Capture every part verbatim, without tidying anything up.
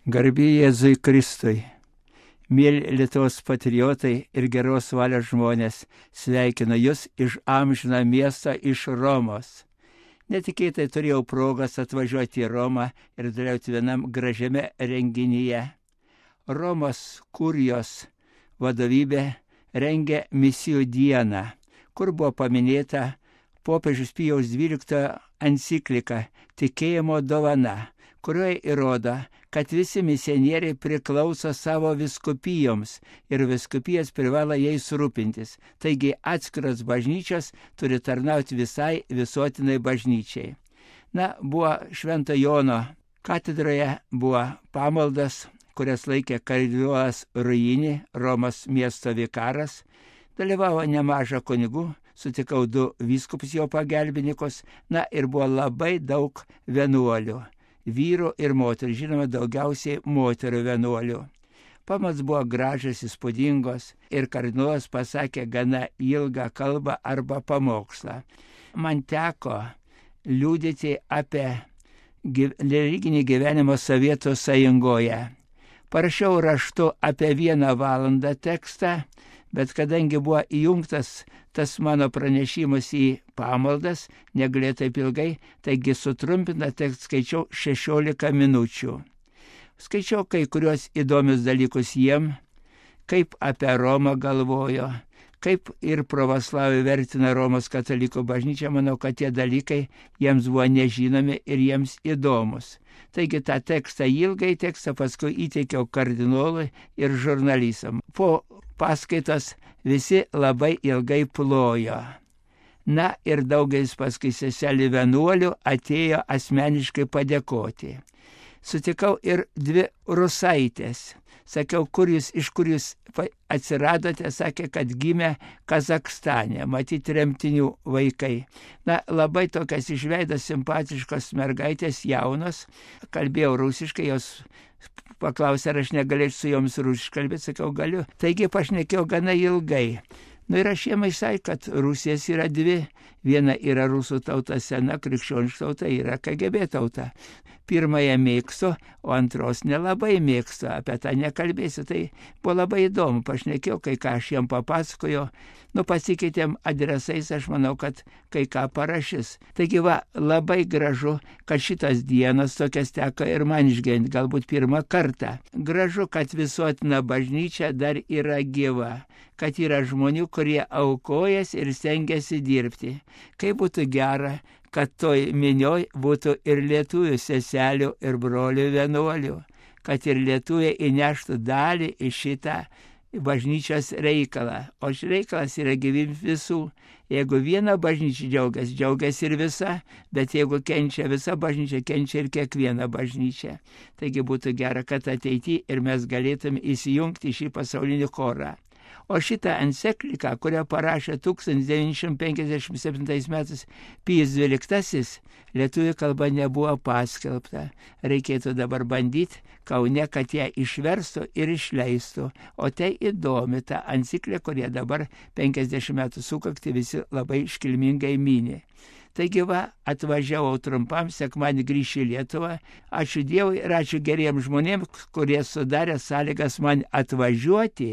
Garbė Jėzui Kristui. Mėly Lietuvos patriotai ir geros valios žmonės, sveikinu Jūs iš amžiną miestą, iš Romos. Netikėtai turėjau progas atvažiuoti į Romą ir dalyvauti vienam gražiame renginyje. Romos kurijos vadovybė rengė misijų dieną, kur buvo paminėta popiežiaus Pijaus dvyliktojo enciklika Tikėjimo dovana, kurioje įrodo, kad visi misionieriai priklauso savo vyskupijoms ir vyskupijas privalo jais rūpintis. Taigi atskiros bažnyčios turi tarnauti visai visuotinai bažnyčiai. Na, buvo Švento Jono katedroje, buvo pamaldas, kurias laikė kardinolas Ruini, Romos miesto vikaras. Dalyvavo nemaža kunigų, sutikau du vyskupus jo pagelbininkus, na ir buvo labai daug vienuolių. Vyrų ir moterų, žinoma, daugiausiai moterų vienuolių. Pamaldos buvo gražios, įspūdingos ir kardinolas pasakė gana ilgą kalbą arba pamokslą. Man teko liudyti apie religinį gyvenimą Sovietų Sąjungoje. Parašiau raštu apie vieną valandą tekstą, bet kadangi buvo įjungtas tas mano pranešimas į pamaldas, negalėjau taip ilgai, taigi sutrumpintą tekstą skaičiau šešiolika minučių. Skaičiau kai kurios įdomius dalykus jiem, kaip apie Romą galvojo, kaip ir pravoslavai vertina Romos katalikų bažnyčią. Manau, kad tie dalykai jiems buvo nežinomi ir jiems įdomus. Taigi tą tekstą, ilgai tekstą, paskui įteikiau kardinolui ir žurnalistam. Po paskaitos visi labai ilgai plojo. Na ir daugelis paskui seselių vienuolių atėjo asmeniškai padėkoti. Sutikau ir dvi rusaitės. Sakiau, kur jūs, iš kur jūs atsiradote, sakė, kad gimė Kazakstane, matyti tremtinių vaikai. Na, labai tokias išveidas simpatiškos mergaitės, jaunos, kalbėjau rusiškai, jos paklausė, ar aš negalėčiau su joms rusiškai kalbėti, sakiau, galiu. Taigi pašnekėjau gana ilgai. Na ir aš jiem išsakė, kad Rusijas yra dvi. Viena yra rusų tauta sena, krikščioniška tauta, yra K G B tauta. Pirmąją mėgstu, o antros nelabai mėgstu, apie tą nekalbėsiu. Tai buvo labai įdomu, pašnekėjau, kai ką aš jiem papasakoju. Nu, pasikeitėm adresais, aš manau, kad kai ką parašys. Taigi va, labai gražu, kad šitas dienas tokias teko ir man išgyventi, galbūt pirmą kartą. Gražu, kad visuotina bažnyčia dar yra gyva, kad yra žmonių, kurie aukojas ir stengiasi dirbti. Kaip būtų gera, kad toj minioj būtų ir lietuvių seselių ir brolių vienuolių, kad ir lietuviai įneštų dalį į šitą bažnyčios reikalą. O šis reikalas yra gyvybė visų. Jeigu viena bažnyčia džiaugiasi, džiaugiasi ir visa, bet jeigu kenčia visa bažnyčia, kenčia ir kiekviena bažnyčia. Taigi būtų gera, kad ateityje ir mes galėtume įsijungti šį pasaulinį chorą. O šitą encikliką, kurią parašė tūkstantis devyni šimtai penkiasdešimt septintais metais Pijus dvyliktasis, lietuvių kalba nebuvo paskelbta. Reikėtų dabar bandyti Kaune, kad ją išverstų ir išleistų. O tai įdomi ta enciklika, kurie dabar penkiasdešimt metų sukakti visi labai iškilmingai mini. Taigi va, atvažiavau trumpam, sekmadienį grįšiu į Lietuvą. Ačiū Dievui ir ačiū geriems žmonėms, kurie sudarė sąlygas man atvažiuoti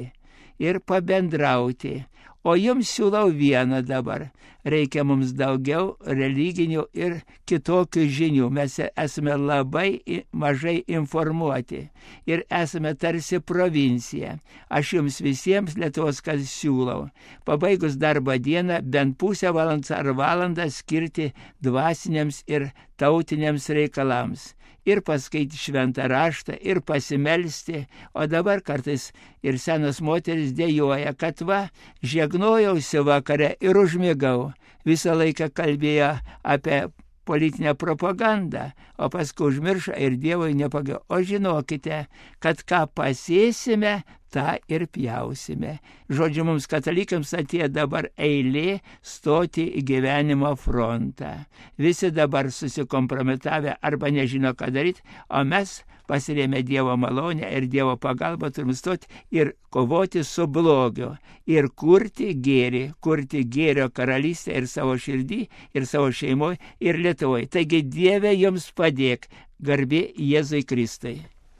ir pabendrauti. O jums siūlau vieną dabar. Reikia mums daugiau religinių ir kitokių žinių. Mes esame labai mažai informuoti ir esame tarsi provincija. Aš jums visiems Lietuvos kas siūlau. Pabaigus darbo dieną bent pusę valandos ar valandą skirti dvasiniams ir tautiniams reikalams. Ir paskaityti šventą raštą, ir pasimelsti, o dabar kartais ir senos moteris dėjoja, kad va, žegnojausi vakare ir užmigau. Visą laiką kalbėjo apie politinę propagandą, o paskui užmiršo ir Dievui nepagavo. O žinokite, kad ką pasėsime, tą ir pjausime. Žodžiu, mums katalikams atėjo dabar eilė stoti į gyvenimo frontą. Visi dabar susikompromitavę arba nežino, ką daryti, o mes pasirėmę Dievo malonę ir Dievo pagalbą turim stoti ir kovoti su blogiu. Ir kurti gėrį, kurti gėrio karalystę ir savo širdį, ir savo šeimoje, ir Lietuvoje. Taigi Dieve jums padėk, garbė Jėzui Kristui.